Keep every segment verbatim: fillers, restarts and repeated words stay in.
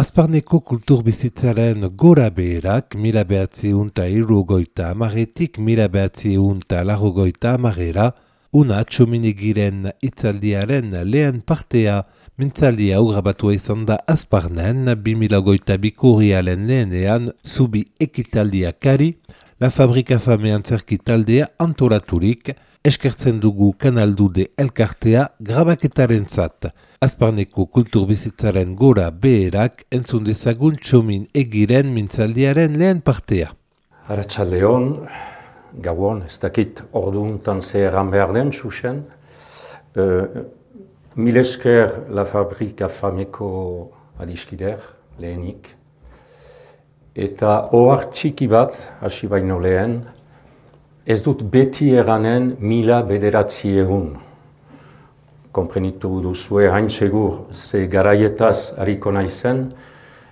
Azparneko kulturbizitzaren gora beherak mila behatziehun eta hirurogeita hamaretik mila behatziehun eta laurogeita hamarera, una txominigiren hitzaldiaren lehen partea, mintzaldia hau grabatua izan da Azparnen, bi mila hogeita biko urriaren lehenean, zubi ekitaldiakari, La Fabrika Fame antzerki taldea antolaturik, eskertzen dugu kanaldude elkartea grabaketaren zat. Azparneko kulturbizitzaren gora beherak entzun dezagun txomin egiren mintzaldiaren lehen partea. Arratsaldeon, gauon, ez dakit orduuntan ze erran behar den, xuxen. Uh, mil esker La Fabrika Fameko adiskider, lehenik. Eta ohar txiki bat, hasi baino lehen, ez dut beti eranen mila bederatzi egun. Konprenitu duzue hain segur ze garaietaz hariko naizen,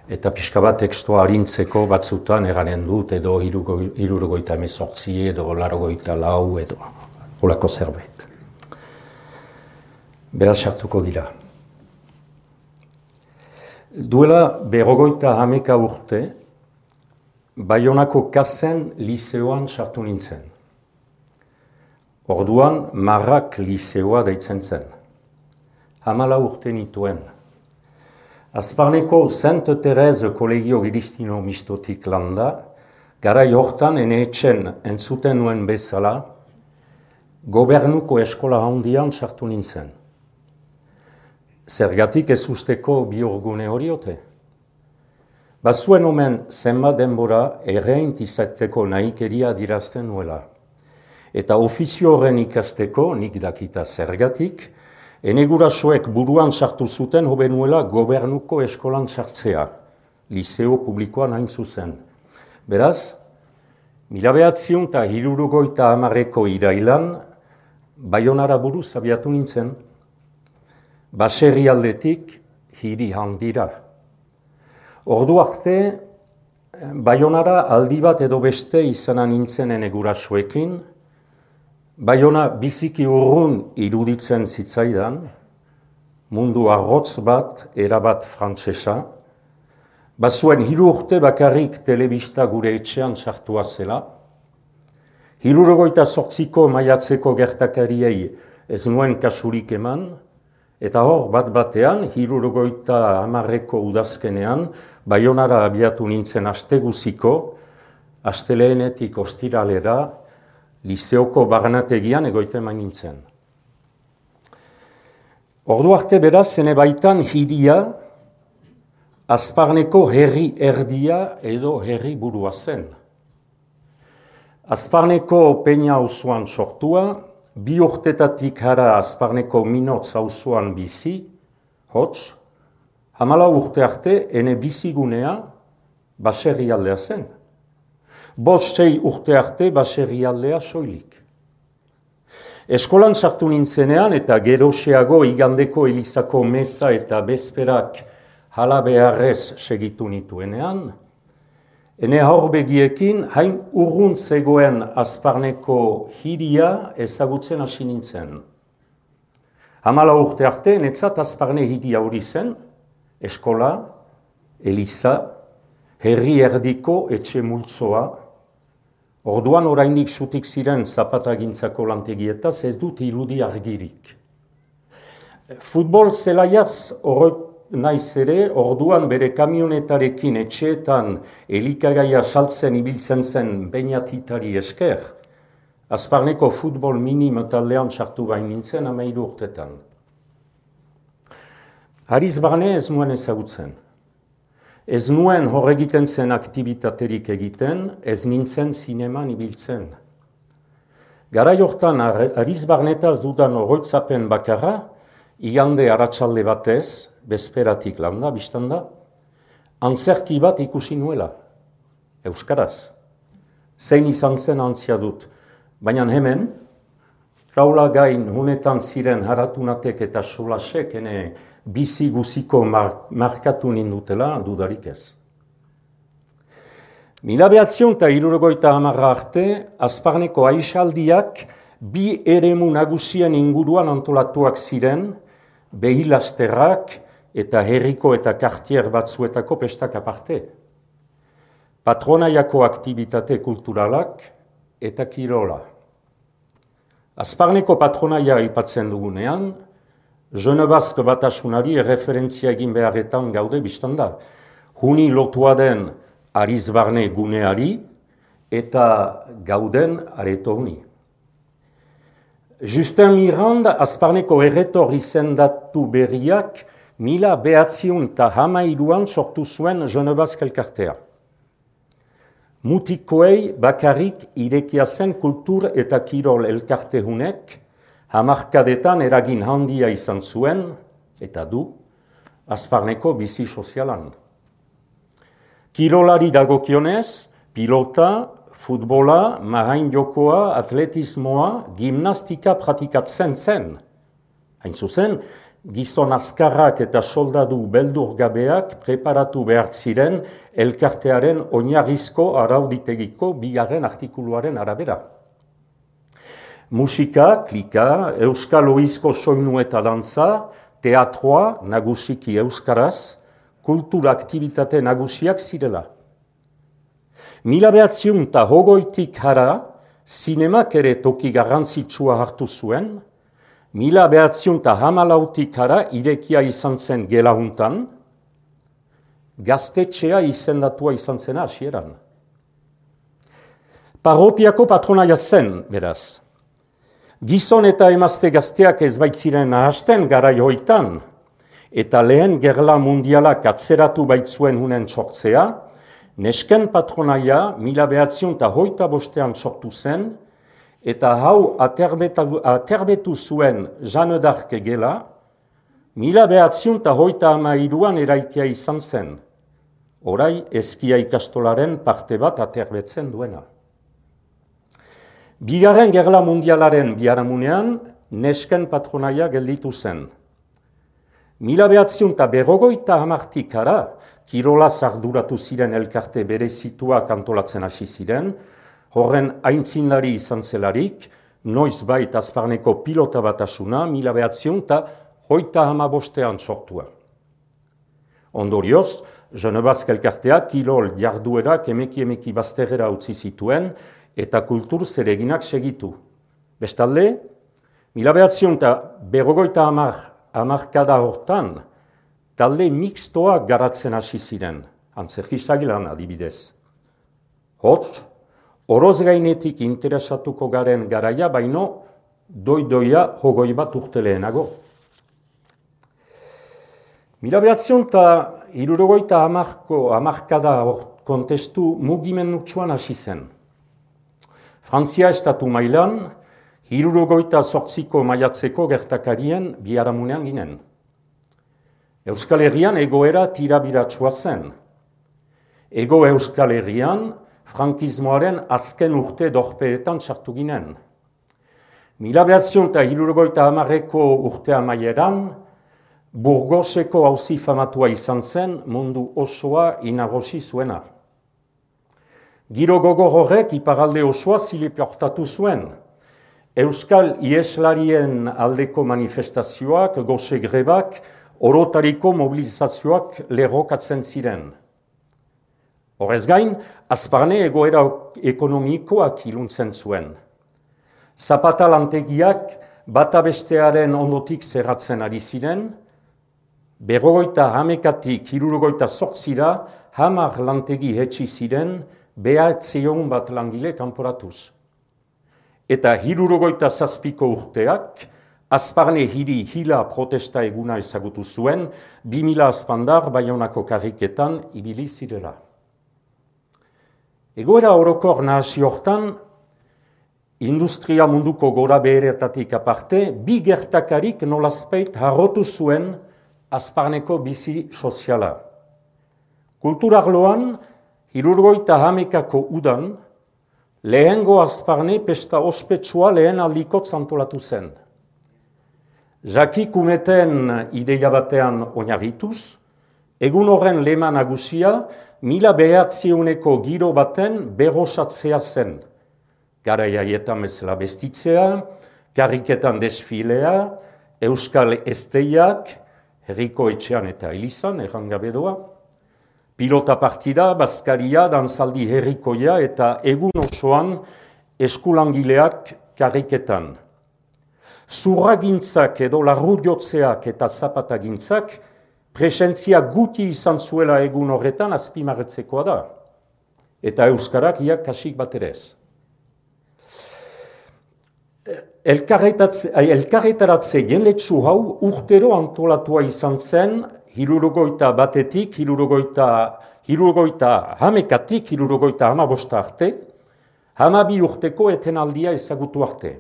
eta pixka bat tekstua harintzeko batzutan eranen dut, edo hirurogeita hemezortzi, edo laurogeita lau, edo holako zerbait. Beraz sartuko dira. Duela berrogeita hameka urte, Baionako Kasen liseoan sartu nintzen. Orduan, Marrak liseoa deitzen zen. Hamala urte nituen. Azparneko Saint Terese kolegio Giristino mistotik landa, garai hortan ene etxen entzuten nuen bezala, gobernuko eskola handian sartu nintzen. Zergatik ez usteko bihurgune horiote? Bazuen omen zenbat denbora erreint izateko nahikeria dirazten nuela. Eta ofizio horren ikasteko, nik dakita zergatik, ene gurasoek buruan sartu zuten hobe nuela gobernuko eskolan sartzea, liseo publikoan hain zuzen. Beraz, mila behatziehun eta hirurogeita hamareko irailan, Baionara buruz abiatu nintzen, baserri aldetik hiri handira. Ordu arte, Baionara aldi bat edo beste izana nintzen ene gurasoekin, Baiona biziki urrun iruditzen zitzaidan, mundu arrotz bat, erabat frantsesa, bazuen hiru urte bakarrik telebista gure etxean sartua zela, hirurogeita zortziko maiatzeko gertakariei ez nuen kasurik eman, eta hor bat batean, hirurogeita hamarreko udazkenean, Baionara abiatu nintzen asteguziko, astelehenetik ostiralera, liseoko barnategian egoiten main nintzen. Ordu arte beraz, ene baitan hiria, Azparneko herri erdia edo herri burua zen. Azparneko peina auzoan sortua, bi urtetatik hara Azparneko minotz auzoan bizi, hots, hamala urte arte ene bizigunea baserri aldea zen. Bost sei urte arte baserri aldea soilik. Eskolan sartu nintzenean eta geroxeago igandeko elizako meza eta bezperak hala beharrez segitu nituenean, ene haurbegiekin hain urrun zegoen Azparneko hiria ezagutzen hasi nintzen. Hamala urte arte, netzat Azparne hiria hori zen, eskola, eliza, herri erdiko etxe multzoa, orduan oraindik zutik ziren zapatagintzako lantegietaz ez dut irudi argirik. Futbol zelaiaz horret naiz ere, orduan bere kamionetarekin etxeetan elikagaia saltzen ibiltzen zen beinatitari esker, Azparneko futbol minim taldean sartu bain nintzen hamairu urtetan. Hariz barne ez nuen ezagutzen. Ez nuen horregiten zen aktibitaterik egiten, ez nintzen zineman ibiltzen. Garai hortan hariz barnetaz dudan oroitzapen bakarra, igande arratsalde batez, bezperatik landa, biztanda, antzerki bat ikusi nuela, euskaraz. Zein izan zen antzia dut, baina hemen, traula gain honetan ziren haratunatek eta solasek ene bizi guziko mar markatu nindutela dudarik ez. Mila behatziehun eta hirurogeita hamarra arte, Azparneko aixaldiak bi eremu nagusien inguruan antolatuak ziren, behilasterrak, eta herriko eta kartier batzuetako pestak aparte. Patronaiako aktibitate kulturalak eta kirola. Azparneko patronaia aipatzen dugunean, Jeune Basque batasunari erreferentzia egin beharretan gaude biztan da. Huni lotua den Arizbarne guneari eta gauden areto huni. Justin Mirand, Azparneko erretor izendatu berriak, mila behatziun eta hamairuan sortu zuen Jeune Basque elkartea. Mutikoei bakarrik irekia zen kultur eta kirol elkarte hunek, hamarkadetan eragin handia izan zuen, eta du, Azparneko bizi sozialan. Kirolari dagokionez, pilota, futbola, mahain jokoa, atletismoa, gimnastika pratikatzen zen. Hain zuzen, gizon azkarrak eta soldadu beldurgabeak preparatu behar ziren elkartearen oinarrizko arauditegiko bigarren artikuluaren arabera. Musika, klika, euskal oizko soinu eta dantza, teatroa, nagusiki euskaraz, kultura aktibitate nagusiak zirela. Mila behatziun eta hogoitik hara, zinemak ere toki garrantzitsua hartu zuen, mila behatziun eta hamalautik hara irekia izan zen gelahuntan, gaztetxea izendatua izan zena hasieran. Parropiako patronaia zen, beraz. Gizon eta emazte gazteak ez baitziren nahasten garai hoitan, eta lehen gerla mundialak atzeratu baitzuen hunen sortzea, nesken patronaia mila behatziun eta hoita bostean sortu zen, eta hau aterbetu, aterbetu zuen Jeanne d'Arc gela, mila behatziun eta hoita hamairuan eraikia izan zen, orai eskia ikastolaren parte bat aterbetzen duena. Bigarren gerla mundialaren biharamunean, nesken patronaia gelditu zen. Mila behatziun eta berrogoita hamartik ara, kirola arduratu ziren elkarte berezituak antolatzen hasi ziren, horren aintzindari izan zelarik, noiz bait Azparneko pilota batasuna, mila behatziun eta hoita hamabostean sortua. Ondorioz, Jeune Basque elkarteak kirol jarduerak emeki-emeki bazterrera utzi zituen, eta kultur zereginak segitu. Bestalde, mila behatziun eta berrogoita hamarkada hortan, talde mixtoak garatzen hasi ziren, antzerkizagilan adibidez. Hots, oroz gainetik interesatuko garen garaia, baino doidoia jogoi bat urte lehenago. Mila behatziun eta hirurogeita hamarkada kontestu mugimendutsuan hasi zen. Frantzia estatu mailan, hirurogeita zortziko maiatzeko gertakarien biharamunean ginen. Euskal Herrian egoera tirabiratsua zen. Ego Euskal Herrian, frankismoaren azken urte dorpeetan sartu ginen. Mila behatziun eta hirurogeita hamarreko urte amaieran, Burgoseko auzi famatua izan zen mundu osoa inagosi zuena. Giro gogor horrek iparalde osoa ziliportatu zuen. Euskal ieslarien aldeko manifestazioak, gose grebak, orotariko mobilizazioak lerrokatzen ziren. Horrez gain, Azparne egoera ekonomikoak iluntzen zuen. Zapata lantegiak bata bestearen ondotik zerratzen ari ziren, berrogeita hamekatik hirurogeita zortzira hamar lantegi hetsi ziren, behatziehun bat langile kanporatuz. Eta hirurogeita zazpiko urteak, Azparne hiri hila protesta eguna ezagutu zuen, bi mila azpandar Baionako karriketan ibili zirela. Egoera orokor nahasi hortan, industria munduko gora beheretatik aparte, bi gertakarik nolazpeit harrotu zuen Azparneko bizi soziala. Kulturarloan, hirurogeita hamekako udan, lehengo Azparne pesta ospetsua lehen aldikot antolatu zen. Jaki Kumeten ideia batean oinarrituz, egun horren lema nagusia mila behatziuneko giro baten berrosatzea zen. Garaiaietan bezala bestitzea, karriketan desfilea, euskal esteiak, herriko etxean eta elizan, errangabe doa. Pilota partida, bazkaria, dantzaldi herrikoia eta egun osoan eskulangileak karriketan. Zurragintzak edo larrujotzeak eta zapatagintzak presentzia guti izan zuela egun horretan azpimarretzekoa da. Eta euskarak iak kasik bat ere ez. Elkarretaratze jendetsu hau urtero antolatua izan zen, hirurogeita batetik, hirurogeita, hirurogeita hamekatik, hirurogeita hamabosta arte, hamabi urteko etenaldia ezagutu arte.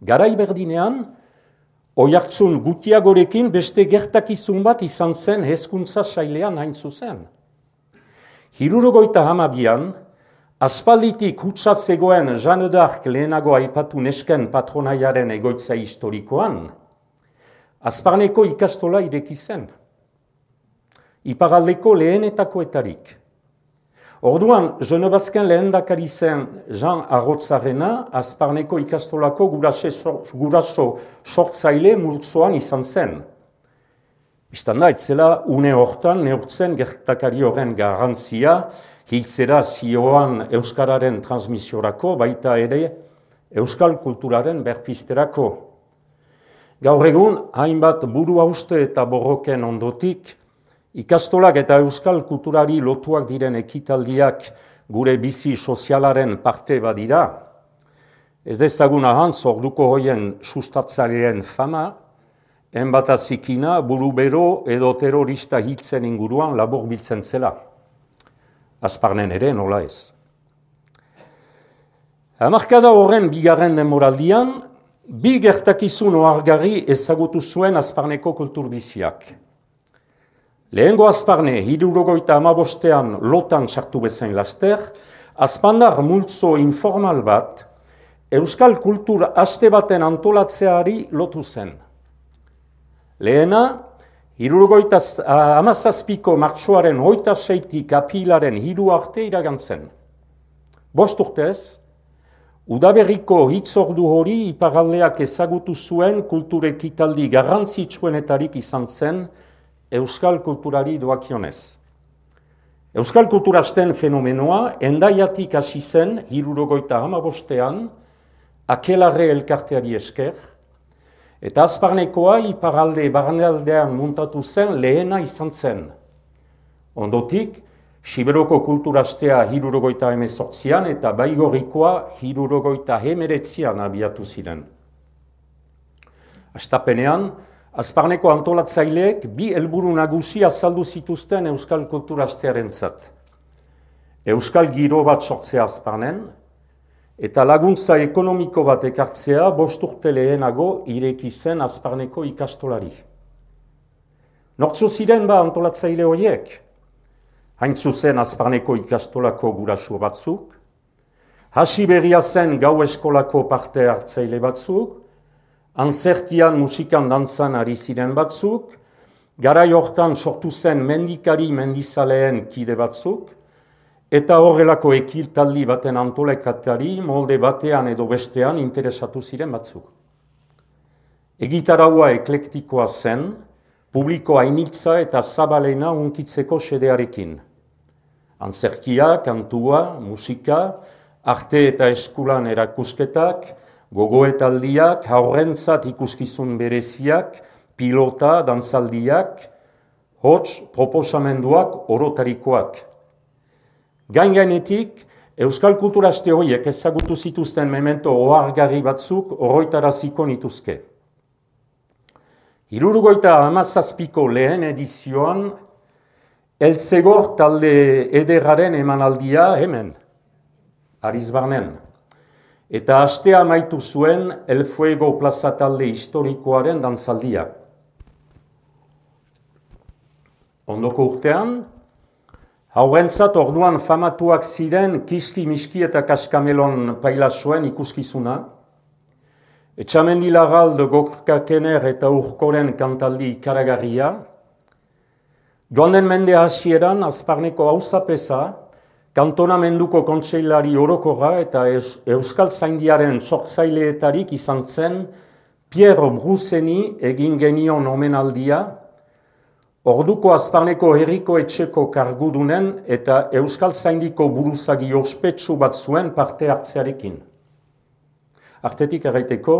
Garai berdinean, oihartzun gutiagorekin beste gertakizun bat izan zen hezkuntza sailean hain zuzen. Hirurogeita hamabian, aspalditik hutsa zegoen Jeanne d'Arc lehenago aipatu nesken patronaiaren egoitza historikoan, Azparneko ikastola ireki zen. Iparaldeko lehenetakoetarik. Orduan, Genebazken lehendakari zen Jean Arrotzarena, Azparneko ikastolako guraso sortzaile multzoan izan zen. Bistan da, etzela une hortan neurtzen gertakari horren garrantzia, hiltzera zioan euskararen transmisiorako, baita ere euskal kulturaren berpizterako. Gaur egun, hainbat buru hauste eta borroken ondotik, ikastolak eta euskal kulturari lotuak diren ekitaldiak gure bizi sozialaren parte badira. Ez dezagun ahantz orduko hoien sustatzaileen fama, enbatazikina, burubero edo terrorista hiltzen inguruan labur biltzen zela. Azparnen ere nola ez. Hamarkada horren bigarren denboraldian, bi gertakizun ohargarri ezagutu zuen Azparneko kulturbiziak. Lehengo Azparne, hirurogeita hamabostean lotan sartu bezain laster, azpandar multzo informal bat, euskal kultur aste baten antolatzeari lotu zen. Lehena, hirurogeita hamazazpiko martxoaren hogeita seitik apilaren hiru arte iragantzen. Bost urtez, udaberriko hitzordu hori iparaldeak ezagutu zuen kultur ekitaldi garrantzitsuenetarik izan zen euskal kulturari doakionez. Euskal kulturasten fenomenoa endaiatik hasi zen hirurogeita hamabostean Akelarre elkarteari esker, eta Azparnekoa iparalde barnealdean muntatu zen lehena izan zen. Ondotik, Siberoko kulturastea hirurogeita hemezortzian eta Baigorrikoa hirurogeita hemeretzian abiatu ziren. Hastapenean, Azparneko antolatzaileek bi helburu nagusi azaldu zituzten euskal kulturastearentzat. Euskal giro bat sortzea Azparnen, eta laguntza ekonomiko bat ekartzea bost urte lehenago ireki zen Azparneko ikastolari. Nortzu ziren ba antolatzaile horiek? Hain zuzen Azparneko ikastolako guraso batzuk, hasi berria zen gau eskolako parte hartzaile batzuk, antzerkian musikan dantzan ari ziren batzuk, garai hortan sortu zen mendikari mendizaleen kide batzuk, eta horrelako ekitaldi baten antolekatari molde batean edo bestean interesatu ziren batzuk. Egitaraua eklektikoa zen, publiko hainitza eta zabalena hunkitzeko xedearekin. Antzerkia, kantua, musika, arte eta eskulan erakusketak, gogoetaldiak, haurrentzat ikuskizun bereziak, pilota, dantzaldiak, hots, proposamenduak, orotarikoak. Gain-gainetik, euskal kulturaste horiek ezagutu zituzten memento ohargarri batzuk oroitaraziko nituzke. Hirurogeita hamazazpiko lehen edizioan, Eltzegor talde ederraren emanaldia hemen, Arizbarnen. Eta astea amaitu zuen El Fuego plaza talde historikoaren dantzaldia. Ondoko urtean, haurrentzat orduan famatuak ziren Kiski, Miski eta Kaskamelon pailasoen ikuskizuna, Etxamendi Larralde, Gorka Kener eta Urkoren kantaldi ikaragarria, joan den mende hasieran Azparneko auzapeza, kantonamenduko kontseilari orokorra eta Euskal Zaindiaren sortzaileetarik izan zen Pierre Bruseni egin genion omenaldia, orduko Azparneko herriko etxeko kargudunen eta Euskaltzaindiko buruzagi ospetsu bat zuen parte hartzearekin. Artetik erraiteko,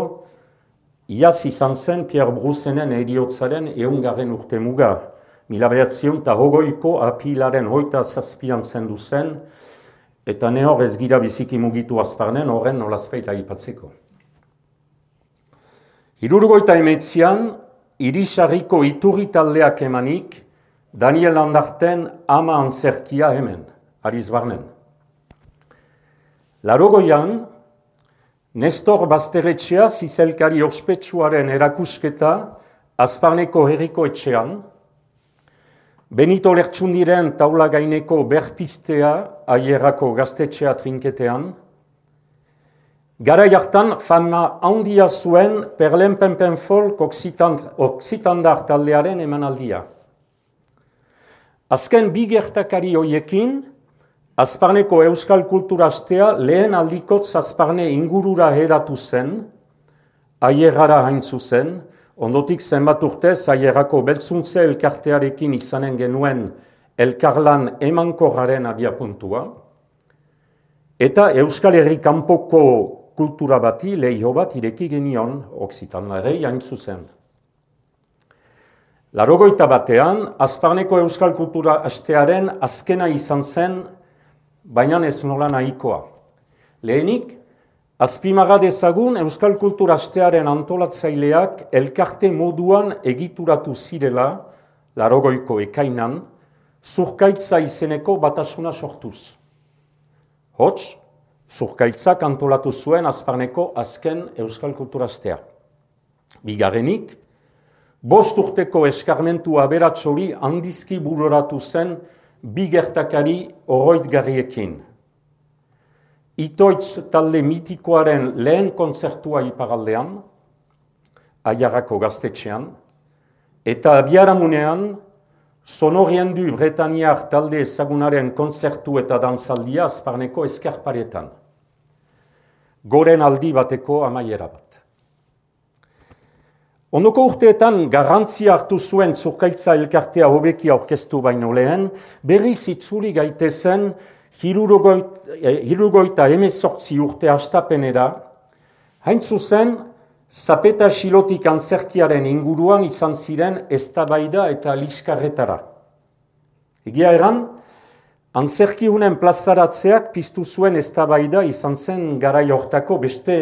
iaz izan zen Pierre Brusenen heriotzaren ehungarren urte muga, mila bederatziehun eta hogeiko apilaren hogeita zazpian zendu zen, eta ne hor ez gira biziki mugitu Azparnen horren nolazpeita aipatzeko. Hirurgoita emeetzian, Irisarriko iturri taldeak emanik, Daniel Landarten ama antzerkia hemen, Arizbarnen. Larogoian, Nestor Basteretxea zizelkari ospetsuaren erakusketa Azparneko herriko etxean, Benito Lertxundiren taula gaineko berpistea Aierrako gaztetxea trinketean, garai hartan fama handia zuen Perlen-Penpen Folk Oksitandar taldearen emanaldia. Azken bi gertakari hoiekin, Azparneko Euskal Kultura Astea lehen aldikotz Azparne ingurura hedatu zen, Aierrara hain zuzen, ondotik zenbat urtez Aierrako beltzuntze elkartearekin izanen genuen elkarlan emankorraren abiapuntua, eta Euskal Herri kanpoko kultura bati leiho bat ireki genion Oksitandarrei hain zuzen. Larogoita batean, Azparneko Euskal Kultura Astearen azkena izan zen, baina ez nola nahikoa. Lehenik, azpimarra dezagun Euskal Kultura Astearen antolatzaileak elkarte moduan egituratu zirela, larogoiko ekainan, Zurkaitza izeneko batasuna sortuz. Hots, Zurkaitzak antolatu zuen Azparneko azken Euskal Kultura Astea. Bigarrenik, bost urteko eskarmentu aberats hori handizki bururatu zen bi gertakari oroitgarriekin. Itoitz talde mitikoaren lehen kontzertua iparaldean, Aiarrako gaztetxean, eta biharamunean Sonoriendu Bretaniar talde ezagunaren kontzertu eta dantzaldia Azparneko eskarparetan. Goren aldi bateko amaiera bat. Ondoko urteetan garrantzia hartu zuen Zurkaitza elkartea hobeki aurkeztu baino lehen, berriz itzuli gaitezen hirurogeita hemezortzi urte hastapenera, hain zuzen, Zapeta Xilotik antzerkiaren inguruan izan ziren eztabaida eta liskarretara. Egia eran, antzerkiunen plazaratzeak piztu zuen eztabaida izan zen garai hortako beste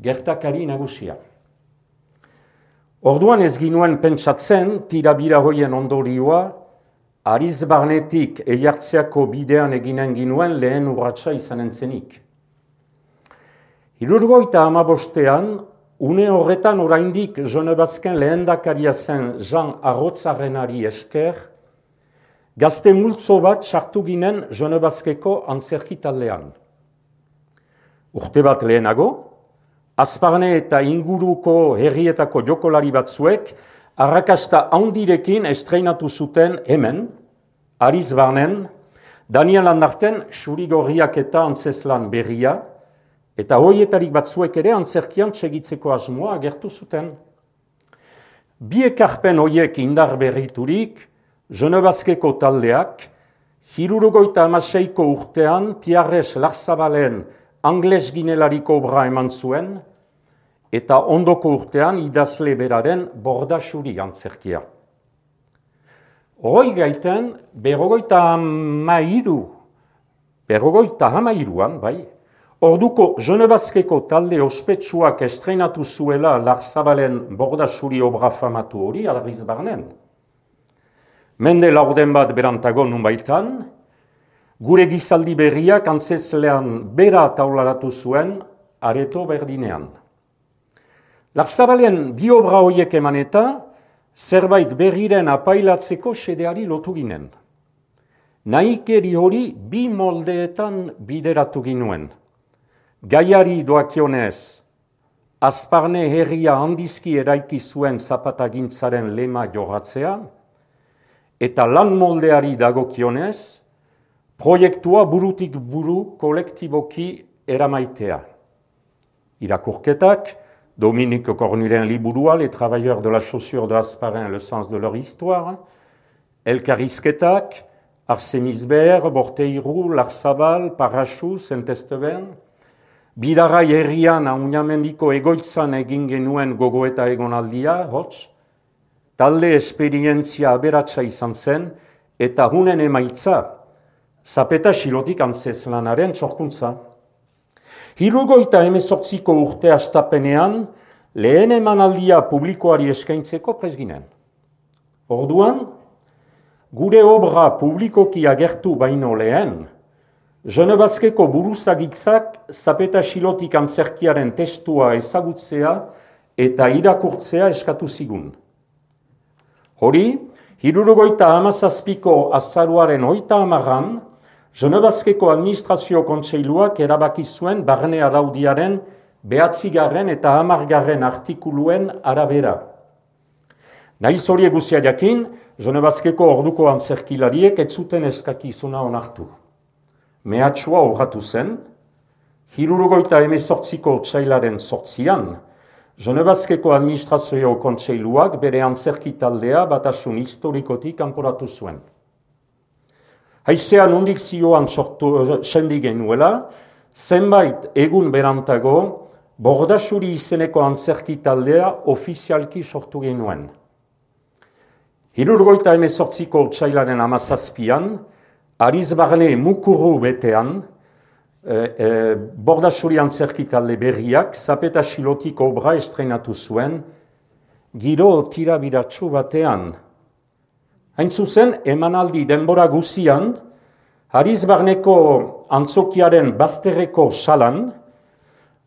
gertakari nagusia. Orduan ez ginuen pentsatzen, tirabira hoien ondorioa, Arizbarnetik Eiartzeako bidean eginen ginuen lehen urratsa izanen zenik. Hirurgoita hamabostean, une horretan oraindik Jonebazken lehendakaria zen Jean Arrotzarrenari esker, gazte multzo bat sartu ginen Jonebazkeko antzerki taldean. Urte bat lehenago, Azparne eta inguruko herrietako jokolari batzuek arrakasta handirekin estreinatu zuten hemen, Arizbarnen, Daniel Landarten Xurigorriak eta antzeslan berria, eta hoietarik batzuek ere antzerkian txegitzeko asmoa agertu zuten. Bi ekarpen hoiek indar berriturik, Jonebazkeko taldeak, hirurogeita hamaseiko urtean Pierres Larzabalen Angles ginelariko obra eman zuen, eta ondoko urtean idazle beraren Bordaxuri antzerkia. Hoi gaiten, berrogoita hamairu, berrogoita hamairuan, bai, orduko Jonebazkeko talde ospetsuak estreinatu zuela Larzabalen Bordaxuri obra famatu hori Arizbarnen. Mende laurden bat berantago nunbaitan, gure gizaldi berriak antzeslean bera taularatu zuen areto berdinean. Larzabalen bi obra hoiek eman eta zerbait berriren apailatzeko xedeari lotu ginen. Nahikeri hori bi moldeetan bideratu ginuen. Gaiari doakionez, Azparne herria handizki eraiki zuen zapatagintzaren lema jorratzea, eta lan moldeari dagokionez, proiektua burutik buru kolektiboki eramaitea. Irakurketak, Dominique Cornulen liburua, Les travailleurs de la chaussure de Hasparren, le sens de leur histoire, Elkarrizketak, Arsenisber, Borteiru, Larzabal, Parrachu, Saint-Esteban, Bidarai herrian Aunamendiko egoitzan egin genuen gogoeta egonaldia, hots, talde esperientzia aberatsa izan zen, eta hunen emaitza, Zapeta Xilotik antzezlanaren sorkuntza. Hirurogeita hemezortziko urte hastapenean, lehen emanaldia publikoari eskaintzeko prest ginen. Orduan, gure obra publikoki agertu baino lehen, Genebazkeko buruzagitzak Zapeta Xilotik antzerkiaren testua ezagutzea eta irakurtzea eskatu zigun. Hori, hirurogeita hamazazpiko azaruaren hogeita hamaran, Genebazkeko administrazio kontseiluak erabaki zuen barne araudiaren behatzigarren eta hamargarren artikuluen arabera. Nahiz horiek guztia jakin, Genebazkeko orduko antzerkilariek ez zuten eskakizuna onartu. Mehatxua obratu zen, hirurogeita hemezortziko otsailaren sortzian, Genebazkeko administrazio kontseiluak bere antzerki taldea batasun historikotik kanporatu zuen. Haizea nondik zioan sortu sendi genuela, zenbait egun berantago, Bordasuri izeneko antzerki taldea ofizialki sortu genuen. Hirurogeita hemezortziko otsailaren hamazazpian, Ariz Barne mukuru betean, e, e, Bordasuri antzerki talde berriak Zapeta Xilotik obra estrenatu zuen, giro tirabiratsu batean. Hain zuzen, emanaldi denbora guzian, Ariz Barneko antzokiaren bazterreko salan,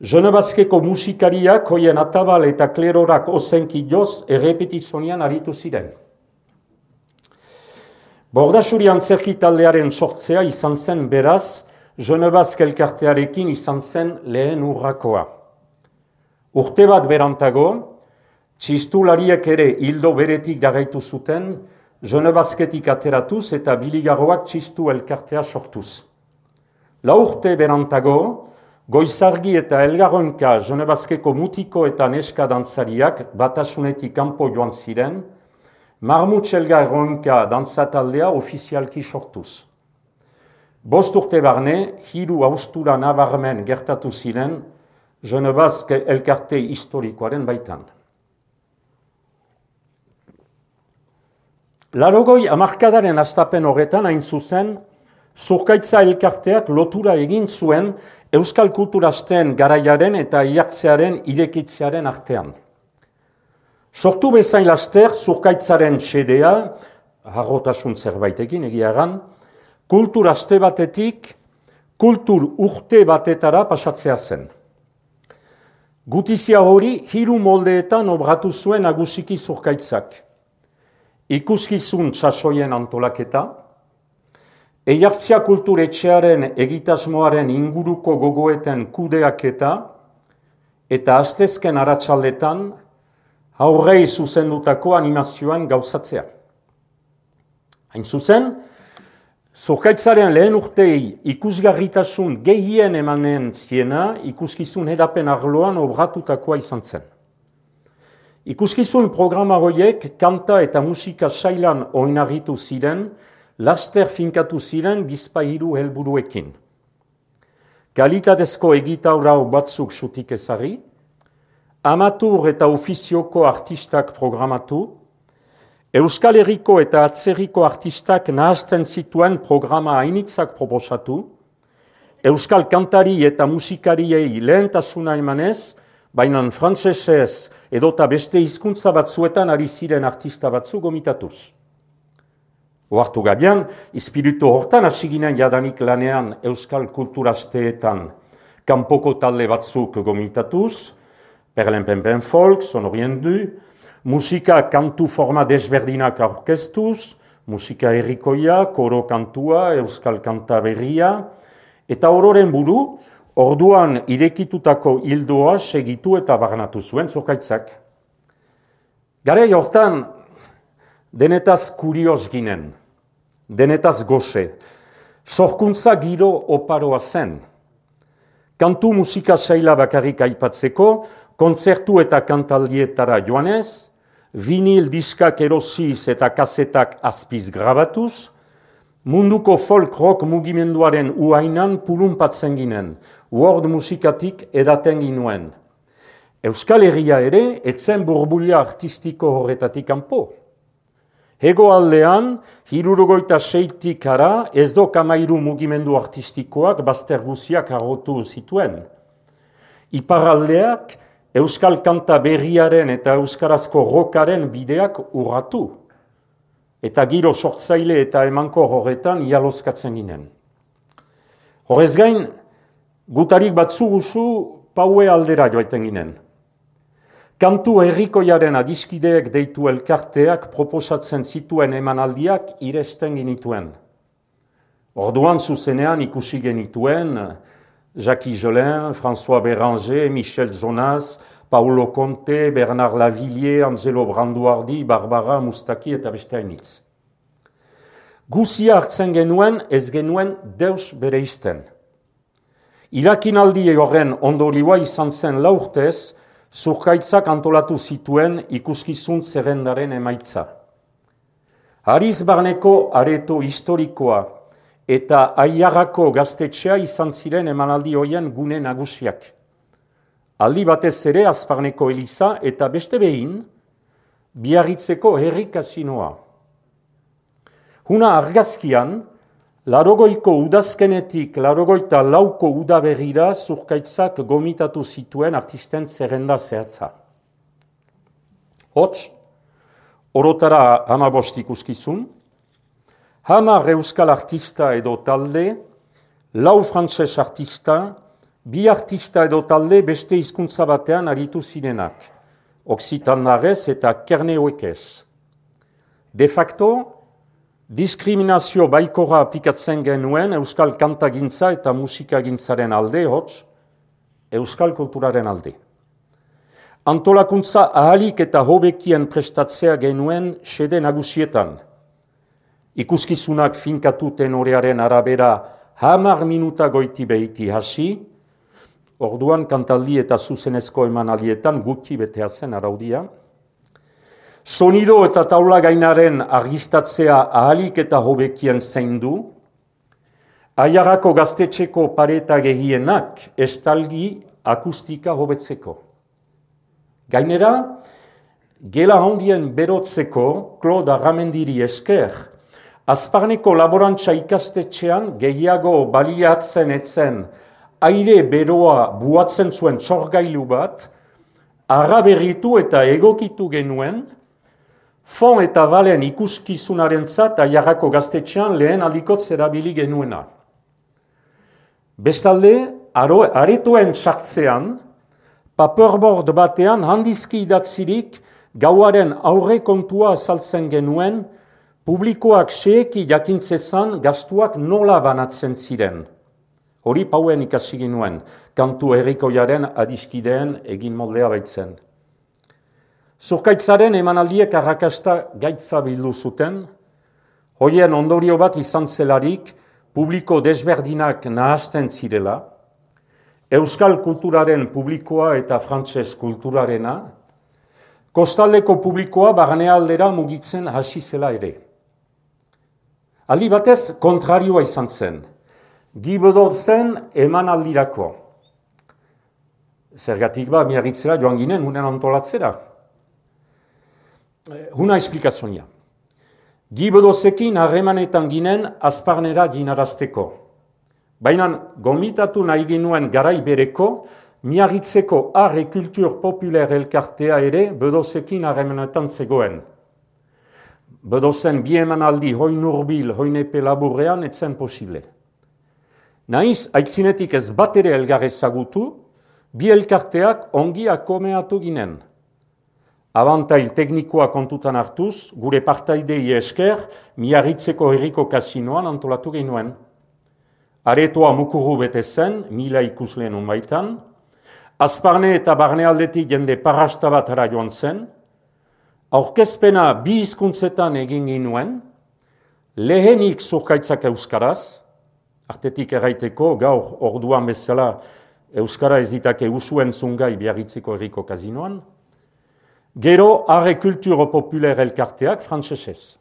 Genebazkeko musikariak hoien atabal eta klerorak ozenki joz errepetizonian aritu ziren. Bordasuri antzerki taldearen sortzea izan zen beraz, Genebazk elkartearekin izan zen lehen urrakoa. Urte bat berantago, txistulariek ere hildo beretik jarraitu zuten, Genebazketik ateratuz eta biligarroak txistu elkartea sortuz. Lau urte berantago, Goizargi eta Elgarronka Genebazkeko mutiko eta neska dantzariak batasunetik kanpo joan ziren, Marmutx Elgarronka dantzataldea ofizialki sortuz. Bost urte barne, hiru haustura nabarmen gertatu ziren Genebazk elkarte historikoaren baitan. Larogoi hamarkadaren hastapen horretan hain zuzen, Zurkaitza elkarteak lotura egin zuen euskal kulturazten garaiaren eta iartzearen irekitzearen artean. Sortu bezain laster Zurkaitzaren xedea, harrotasun zerbaitekin egiaran, kulturazte batetik kultur urte batetara pasatzea zen. Gutizia hori hiru moldeetan obratu zuen nagusiki Zurkaitzak. Ikuskizun sasoien antolaketa, Eiartzia kulturetxearen egitasmoaren inguruko gogoeten kudeaketa eta astezken aratsaldetan aurrei zuzendutako animazioan gauzatzea. Hain zuzen, Zurkaitzaren lehen urtei ikusgarritasun gehien emanen ziena ikuskizun hedapen arloan obratutakoa izan zen. Ikuskizun programa horiek kanta eta musika sailan oinarritu ziren, laster finkatu ziren bizpahiru helburuekin. Kalitatezko egitaurau batzuk sutik ezari, amatur eta ofizioko artistak programatu, Euskal Herriko eta atzerriko artistak nahazten zituen programa hainitzak proposatu, Euskal kantari eta musikariei lehentasuna emanez, baina frantsesez edota beste hizkuntza batzuetan ari ziren artista batzu gomitatuz. Oartu gabian, espiritu hortan hasi ginen jadanik lanean euskal kulturazteetan kanpoko talde batzuk gomitatuz, Perlenpenpen folk, sonorien du, musika kantu forma desberdinak aurkeztuz, musika herrikoia, koro kantua, euskal kanta berria, eta ororen buru, orduan irekitutako hildoa segitu eta barnatu zuen Zurkaitzak. Garai hortan, denetaz kurioz ginen, denetaz goxe, sorkuntza giro oparoa zen. Kantu musika saila bakarrik aipatzeko, kontzertu eta kantaldietara joanez, vinil diskak erosiz eta kasetak azpiz grabatuz, munduko folk rock mugimenduaren uainan pulunpatzen ginen, world musikatik edaten ginuen. Euskal Herria ere, etzen burbulia artistiko horretatik kanpo. Hego aldean, hirurogeita seitik ara, ez do kamairu mugimendu artistikoak bazter guziak agotu zituen. Iparraldeak, euskal kanta berriaren eta euskarazko rockaren bideak urratu. Eta giro sortzaile eta emanko horretan ialozkatzen ginen. Horrez gain, gutarik batzu guzu paue aldera joaiten ginen. Kantu herrikoiaren adiskideek deitu elkarteak proposatzen zituen emanaldiak iresten ginituen. Orduan zuzenean ikusi genituen Jacques Jolin, François Béranger, Michel Jonas, Paulo Conte, Bernard Lavillier, Angelo Branduardi, Barbara Mustaki eta beste hainitz. Guzia hartzen genuen, ez genuen deus bere izten. Irakinaldi horren ondorioa izan zen laurtez, Zurkaitzak antolatu zituen ikuskizun zerrendaren emaitza. Hariz barneko areto historikoa eta Aiarako gaztetxea izan ziren emanaldi hoien gune nagusiak. Aldi batez ere Azparneko Eliza eta beste behin, Biarritzeko herri kasinoa. Huna argazkian, Larogoiko udazkenetik larogoita lauko udaberrira Zurkaitzak gomitatu zituen artisten zerrenda zehatza. Hots, orotara hamabost ikuskizun, hamar euskal artista edo talde, lau frantses artista, bi artista edo talde beste hizkuntza batean aritu zirenak, oksitandarez eta kerneoekez. De facto, diskriminazio baikora aplikatzen genuen euskal kantagintza eta musikagintzaren alde, hots, euskal kulturaren alde. Antolakuntza ahalik eta hobekien prestatzea genuen xede nagusietan. Ikuskizunak finkatu tenorearen arabera hamar minuta goiti behiti hasi, orduan kantaldi eta zuzenezko emanaldietan gutxi betea zen araudia. Sonido eta taula gainaren argistatzea ahalik eta hobekien zaindu, Aiarako gaztetxeko pareta gehienak estalgi akustika hobetzeko. Gainera, gela handien berotzeko Claude Arramendiri esker, Azparneko laborantza ikastetxean gehiago baliatzen etzen aire beroa buatzen zuen txorgailu bat, arraberritu eta egokitu genuen, Fon eta Valen ikuskizunaren zat Aiarako gaztetxean lehen aldikotz erabili genuena. Bestalde, aretoen sartzean, paperboard batean handizki idatzirik gauaren aurre kontua azaltzen genuen, publikoak xeeki jakintzezan gastuak nola banatzen ziren. Hori pauen ikasi genuen, kantu herrikoiaren adiskideen egin moldea baitzen. Zurkaitzaren emanaldiek arrakasta gaitza bildu zuten, hoien ondorio bat izan zelarik publiko desberdinak nahasten zirela, euskal kulturaren publikoa eta frantses kulturarena, kostaldeko publikoa barnealdera mugitzen hasi zela ere. Aldi batez kontrarioa izan zen, Gibedotzen emanaldirako. Zergatik ba, Biarritzera joan ginen, unen antolatzera. Huna esplikazioa. Gibedozekin harremanetan ginen Azparnera ginarazteko. Baina gomitatu nahi ginuen garai bereko, Miarritzeko Arre Kultur Populer elkartea ere Bedozekin harremanetan zegoen. Bedozen bi emanaldi hoin urbil, hoin epe laburrean etzen posible. Naiz, aitzinetik ez bat ere elgar ezagutu, bi elkarteak ongi akomeatu ginen. Abantail teknikoa kontutan hartuz, gure partaidei esker, Miarritzeko herriko kasinoan antolatu genuen. Aretoa mukuru bete zen, mila ikusleen onbaitan, Azparne eta barnealdetik jende parrasta bat ara joan zen, aurkezpena bi hizkuntzetan egin ginuen, lehenik Zurkaitzak euskaraz, artetik erraiteko, gaur orduan bezala Euskara ez ditake usuen zungai Biarritzeko herriko kazinoan. Gero, Arre Kulturo Populer elkarteak frantsesez.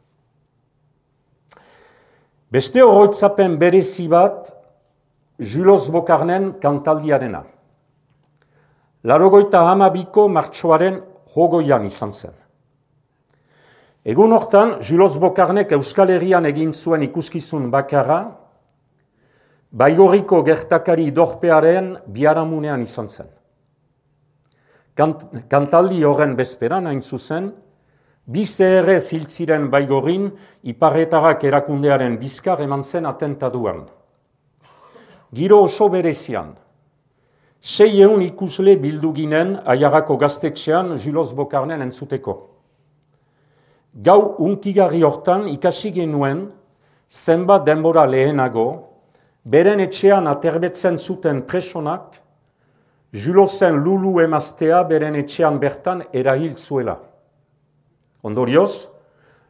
Beste oroitzapen berezi bat, Julos Bokarnen kantaldiarena. Laurogeita hamabiko martxoaren hogoian izan zen. Egun hortan, Julos Bokarnek Euskal Herrian egin zuen ikuskizun bakarra, Baigorriko gertakari dorpearen biharamunean izan zen. Kant, kantaldi horren bezperan hain zuzen, bi C R ziltziren Baigorrin Iparretarak erakundearen bizkar eman zen atentaduan. Giro oso berezian, sei eun ikusle bildu ginen Aiarako gaztetxean Julos Bokarnen entzuteko. Gau unkigarri hortan ikasi genuen zenbat denbora lehenago, beren etxean aterbetzen zuten presonak, Julosen lulu emaztea beren etxean bertan erahil zuela. Ondorioz,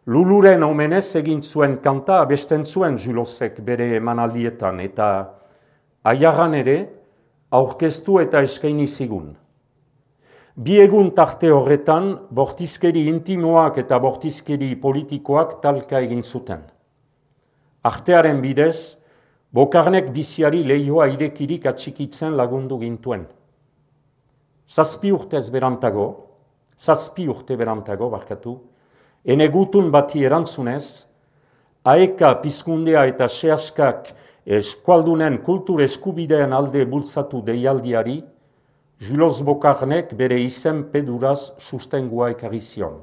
luluren omenez egin zuen kanta abesten zuen Julosek bere emanaldietan eta Aiarran ere aurkeztu eta eskaini zigun. Bi egun tarte horretan, bortizkeri intimoak eta bortizkeri politikoak talka egin zuten. Artearen bidez, Bokarnek biziari lehioa irekirik atxikitzen lagundu gintuen. Zazpi urtez berantago, zazpi urte berantago, barkatu, ene gutun bati erantzunez, Aeka Pizkundea eta Sehaskak eskualdunen kultur eskubideen alde bultzatu deialdiari, Julos Bokarnek bere izen peduraz sustengua ekarri zion.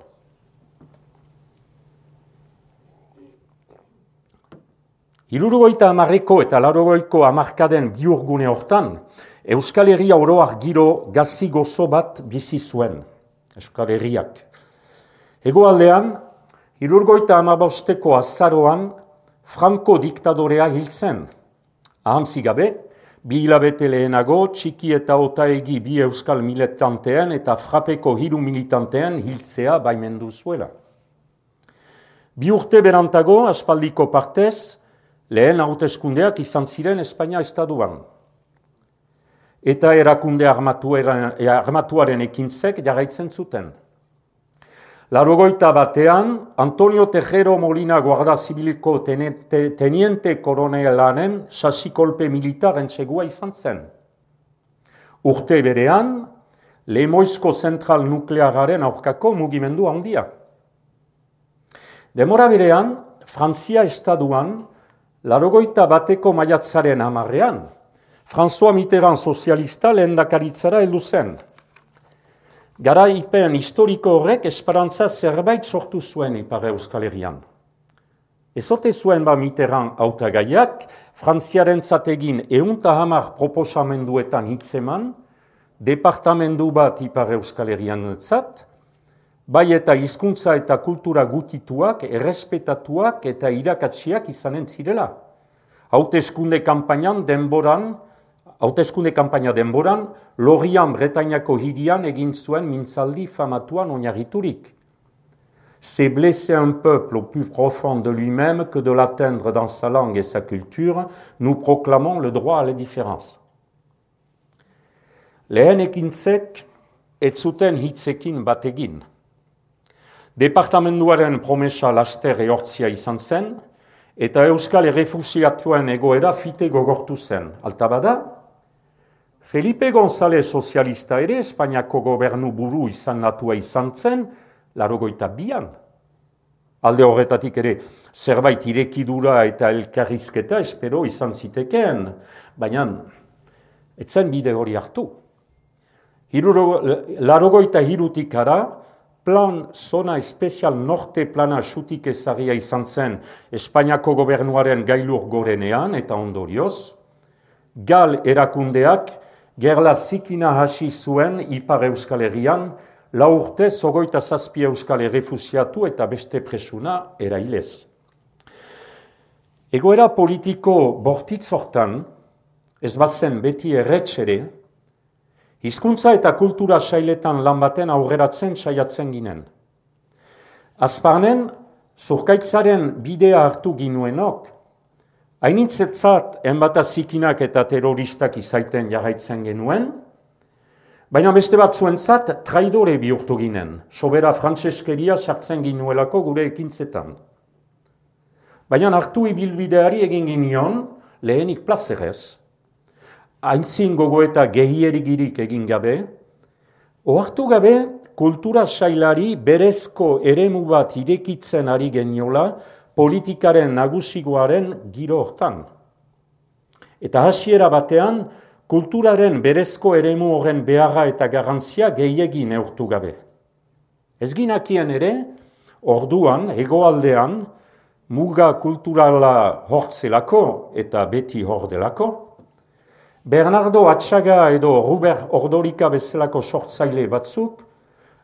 Hirurogeita hamarreko eta laurogeiko hamarkaden biurgune hortan, Euskal Herria oroar giro gazi gozo bat bizi zuen, Euskal Herriak. Hegoaldean, hirurogeita hamabosteko azaroan, Franco diktadorea hil zen. Ahantzi gabe, bi hilabete lehenago, Txiki eta Otaegi bi euskal militanteen eta Frapeko hiru militanteen hiltzea baimendu zuela. Bi urte berantago, aspaldiko partez, lehen hauteskundeak izan ziren Espainia estatuan. Eta erakunde armatuaren ekintzek jarraitzen zuten. Laurogeita batean, Antonio Tejero Molina Guarda Zibiliko teniente, teniente koronelanen sasikolpe militar entsegua izan zen. Urte berean, Lemoizko zentral nukleararen aurkako mugimendu handia. Demora berean, Frantzia estatuan, laurogeita bateko maiatzaren hamarrean, François Mitterrand sozialista lehendakaritzara heldu zen. Garaipen historiko horrek esperantza zerbait sortu zuen Ipar Euskal Herrian. Ezote zuen ba Mitterrand hautagaiak, Frantziarentzat egin ehunta hamar proposamenduetan hitzeman, departamendu bat Ipar Euskal Herriarentzat, bai eta hizkuntza eta kultura gutituak, errespetatuak eta irakatsiak izanen zirela. Hauteskunde kanpainan denboran, hauteskunde kanpaina denboran, Lorient Bretainako hirian egin zuen mintzaldi famatuan oinarriturik. C'est blesser un peuple au plus profond de lui-même que de l'atteindre dans sa langue et sa culture, nous proclamons le droit à la différence. Lehen ekintzek, ez zuten hitzekin bat egin. Departamenduaren promesa laster ehortzia izan zen, eta Euskal errefusiatuen egoera fite gogortu zen. Alta bada, Felipe González sozialista ere Espainiako gobernu buru izan natua izan zen, laurogeita bian. Alde horretatik ere zerbait irekidura eta elkarrizketa espero izan zitekeen, baina etzen bide hori hartu. Laurogeita hirutik ara, Plan Zona Espezial Norte plana xutik ezagia izan zen Espainiako gobernuaren gailur gorenean eta ondorioz, Gal erakundeak gerla zikina hasi zuen Ipar Euskal Herrian, lau urtez hogeita zazpi euskal errefusiatu eta beste presuna erailez. Egoera politiko bortitz hortan, ez bazen beti erretxere, hizkuntza eta kultura sailetan lan baten aurreratzen saiatzen ginen. Azparnen, zurkaitzaren bidea hartu ginuenok, Hainitzetzat enbata zikinak eta terroristak izaiten jarraitzen genuen, baina beste batzuentzat traidore bihurtu ginen, sobera frantseskeria sartzen ginuelako gure ekintzetan. Baina hartu ibilbideari egin ginion, lehenik plazerez, aintzin gogoeta gehierigirik egin gabe, ohartu gabe kultura sailari berezko eremu bat irekitzen ari geniola politikaren nagusigoaren giro hortan. Eta hasiera batean, kulturaren berezko eremu horren beharra eta garrantzia gehiegi neurtu gabe. Ez ginakien ere, orduan, hegoaldean, muga kulturala hortzelako eta beti hordelako, Bernardo Atxaga edo Robert Ordorika bezalako sortzaile batzuk,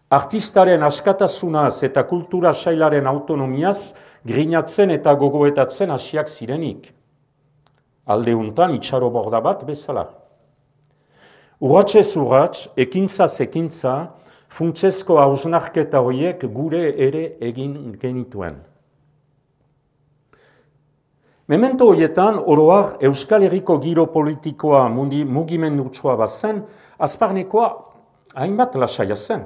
artistaren askatasunaz eta kultura sailaren autonomiaz grinatzen eta gogoetatzen hasiak zirenik. Aldeuntan itxaro borda bat bezala. Urratsez urrats, ekintzaz ekintza, funtsezko hausnarketa horiek gure ere egin genituen. Memento horietan, oroar Euskal Herriko giro politikoa mugimendutsua bazen, azparnekoa hainbat lasaia zen.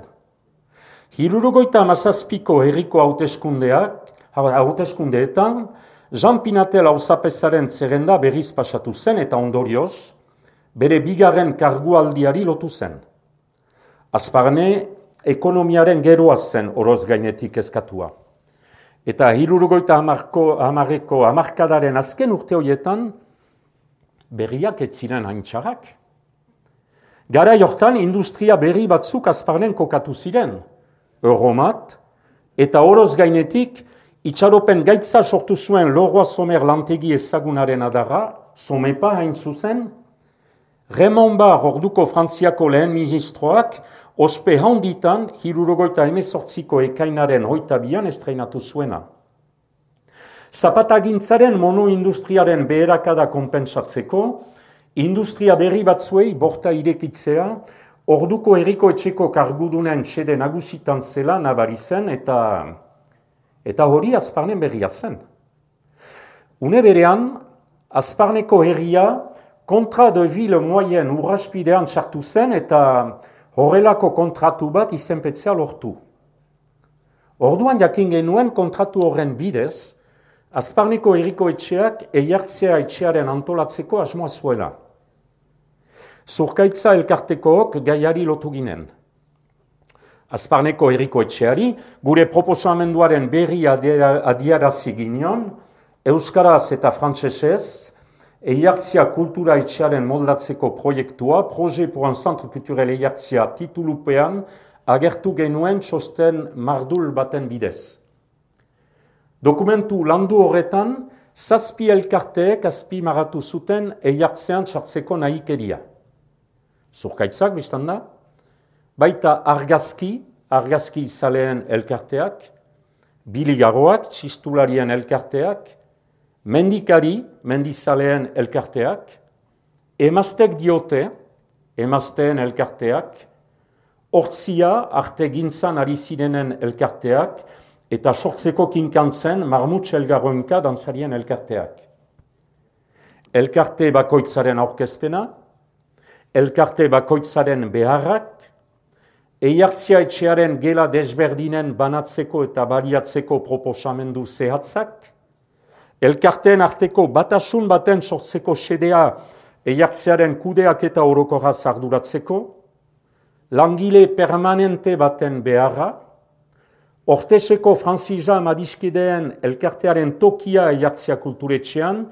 Hirurogeita hamazazpiko herriko hauteskundeak, hauteskundeetan, Jean Pinatel auzapezaren zerrenda berriz pasatu zen eta ondorioz, bere bigarren kargualdiari lotu zen. Azparne, ekonomiaren geroa zen oroz gainetik eskatua. Eta hirurogeita hamareko hamarkadaren azken urte horietan, berriak ez ziren haintxarrak. Garai hortan, industria berri batzuk Azparnen kokatu ziren, Euromat, eta oroz gainetik, itxaropen gaitza sortu zuen Leroy Somer lantegi ezagunaren adarra, Somepa hain zuzen, Raymond Barre orduko Frantziako lehen ministroak, ospe handitan, hirurogeita hemezortziko ekainaren hoita bian estreinatu zuena. Zapatagintzaren monoindustriaren beherakada konpentsatzeko, industria berri batzuei borta irekitzea, orduko herriko etxeko kargudunen txede nagusitan zela nabari zen eta, eta hori Azparnen berria zen. Une berean, Azparneko herria kontra de ville moyen urraspidean sartu zen eta horrelako kontratu bat izenpetzea lortu. Orduan jakin genuen kontratu horren bidez, Azparneko herriko etxeak eiartzea etxearen antolatzeko asmoa zuela. Zurkaitza elkartekook gaiari lotu ginen. Azparneko herriko etxeari, gure proposamenduaren berri adierazi ginion, euskaraz eta frantsesez, Eiartzia kultura etxearen moldatzeko proiektua, Projet pour un centre culturel Eiartzia titulupean, agertu genuen txosten mardul baten bidez. Dokumentu landu horretan, zazpi elkarteek azpimarratu zuten Eiartzean txartzeko nahikeria. Zurkaitzak, biztan da, baita argazki, argazki zaleen elkarteak, biligaroak, txistularien elkarteak, mendikari, mendizaleen elkarteak, emaztek diote, emazteen elkarteak, hortzia, arte gintzan ari zirenen elkarteak, eta sortzeko kinkantzen marmutx elgarroinka dantzarien elkarteak. Elkarte bakoitzaren aurkezpena, elkarte bakoitzaren beharrak, eiartzia etxearen gela desberdinen banatzeko eta baliatzeko proposamendu zehatzak, elkarteen arteko batasun baten sortzeko xedea eiartzearen kudeak eta orokorraz arduratzeko, langile permanente baten beharra, Orteseko Franziza Madiskideen elkartearen tokia eiartzea kulturetxean,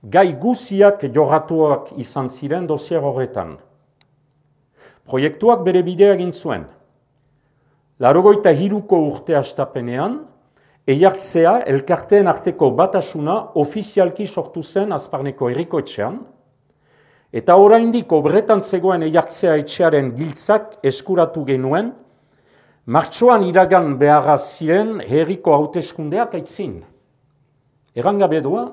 gai guziak jorratuak izan ziren dosier horretan. Proiektuak bere bidea egin zuen. Laurogeita hiruko urte hastapenean, eiartzea elkarteen arteko batasuna ofizialki sortu zen Azparneko herriko etxean, eta oraindik obretan zegoen eiartzea etxearen giltzak eskuratu genuen, martxoan iragan beharra ziren herriko hauteskundeak aitzin. Errangabe doa,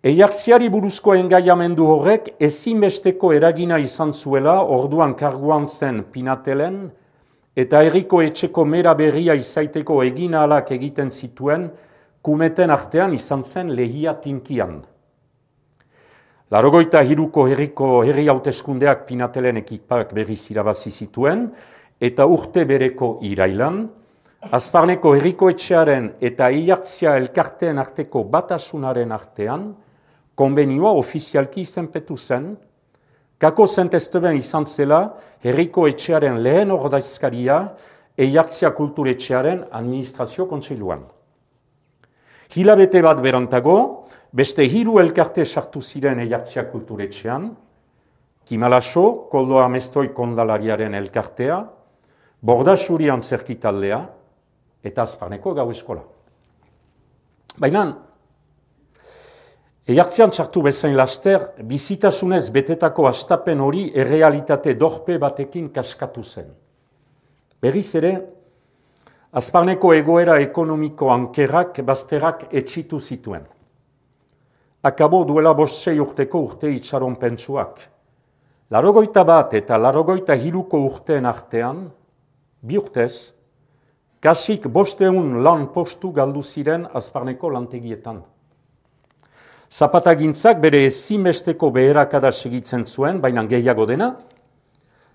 eiartzeari buruzko engaiamendu horrek ezinbesteko eragina izan zuela orduan karguan zen Pinatelen, eta herriko etxeko mera berria izaiteko egin ahalak egiten zituen kumeten artean izan zen lehia tinkian. Laurogeita hiruko herriko herri hauteskundeak Pinatelen ekipak berriz irabazi zituen, eta urte bereko irailan, Azparneko herriko etxearen eta Ilartzia elkarteen arteko batasunaren artean, konbenioa ofizialki izenpetu zen, kako zentezteben izan zela herriko etxearen lehen ordaizkaria Ilartzia kulturetxearen administrazio kontseiluan. Hilabete bat berantago, beste hiru elkarte sartu ziren Ilartzia kulturetxean, Kimalaso, Koldo Amestoi kondalariaren elkartea, Bordasuri antzerkitaldea, eta Azparneko gau eskola. Baina, Ilartzean txartu bezain laster, bizitasunez betetako astapen hori errealitate dorpe batekin kaskatu zen. Berriz ere, Azparneko egoera ekonomiko ankerrak bazterrak etxitu zituen. Akabo duela bost sei urteko urte itxaron pentsuak. Larogoita bat eta larogoita hiruko urteen artean, bi urtez, kasik bosteun lan postu galdu ziren Azparneko lantegietan. Zapatagintzak bere ezinbesteko beherakada segitzen zuen, baina gehiago dena,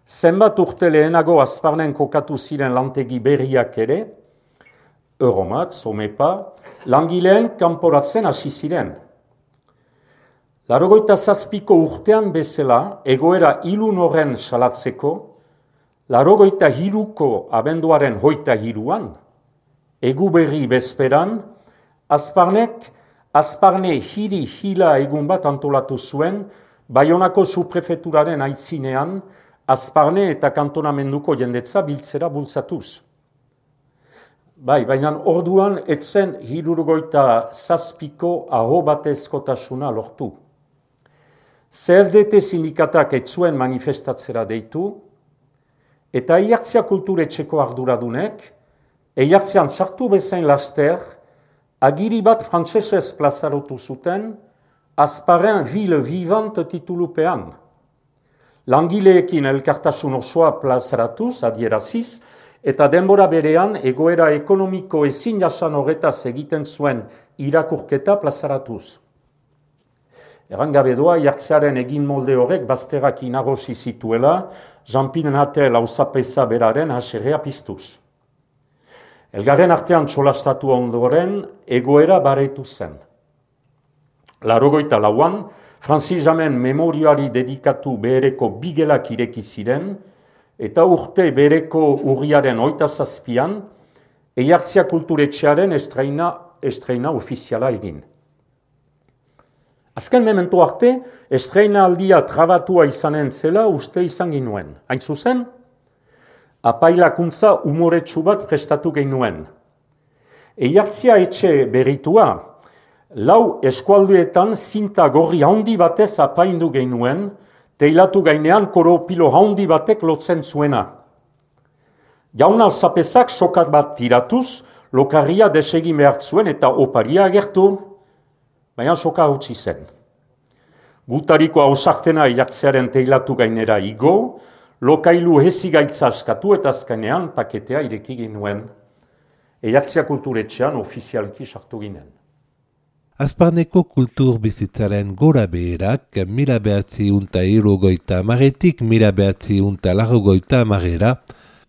zenbat urte lehenago Azparnen kokatu ziren lantegi berriak ere, Euromat, Zomepa, langileen kanporatzen hasi ziren. Laurogeita zazpiko urtean bezala, egoera ilun horren salatzeko, laurogeita hiruko abenduaren hoita hiruan, egu berri bezperan, Azparnek, Azparne hiri hila egun bat antolatu zuen, Baionako suprefeturaren aitzinean, Azparne eta kantonamenduko jendetza biltzera bultzatuz. Bai, baina orduan etzen hirurogeita zazpiko aho batezkotasuna lortu. C F D T sindikatak ez zuen manifestatzera deitu, eta Ilartzia kulturetxeko arduradunek, Ilartzean txartu bezain laster, agiri bat frantsesez plazarotu zuten, Azparren ville vivante titulupean. Langileekin elkartasun osoa plazaratuz, adieraziz, eta denbora berean egoera ekonomiko ezin jasan horretaz egiten zuen irakurketa plazaratuz. Errangabe doa, Ilartzearen egin molde horrek bazterrak inagosi zituela, Jean-Pin Natel auzapeza beraren haserrea piztuz. Elgarren artean txolastatu ondoren, egoera baretu zen. Laurogeita lauan, Francis Jamen memoriari dedikatu behereko bigelak ireki ziren, eta urte bereko urriaren hoita zazpian, Ilartzia kulturetxearen estreina, estreina ofiziala egin. Azken memento arte, estreina aldia trabatua izanen zela uste izan ginuen. Hain zuzen, apailakuntza umoretsu bat prestatu genuen. Ilartzia etxe berritua, lau eskualduetan zinta gorri handi batez apaindu genuen, teilatu gainean koropilo handi batek lotzen zuena. Jaun alzapezak sokat bat tiratuz, lokarria desegin behar zuen eta oparia agertu, baina soka utzi zen. Gutariko hausartena Ilartzearen teilatu gainera igo, lokailu hezigaitza askatu eta azkenean paketea ireki genuen. Ilartzia kulturetxean ofizialki sartu ginen. Azparneko kultur bizitzaren gora beherak mila behatziehun eta hirurogeita hamaretik mila behatziehun eta laurogeita hamarera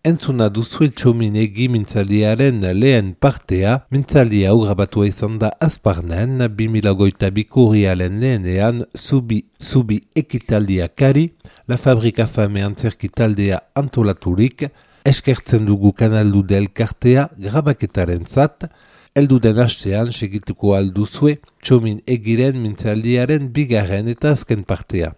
entzuna duzue txominegi mintzaldiaren lehen partea, mintzaldi hau grabatua izan da Azparnen bi mila hogeita biko urriaren lehenean zubi, zubi ekitaldiakari, La Fabrika Fame antzerkitaldea antolaturik, eskertzen dugu kanaldu del kartea grabaketaren zat, elduden hastean segituko alduzue txomin egiren mintzaldiaren bigarren eta azken partea.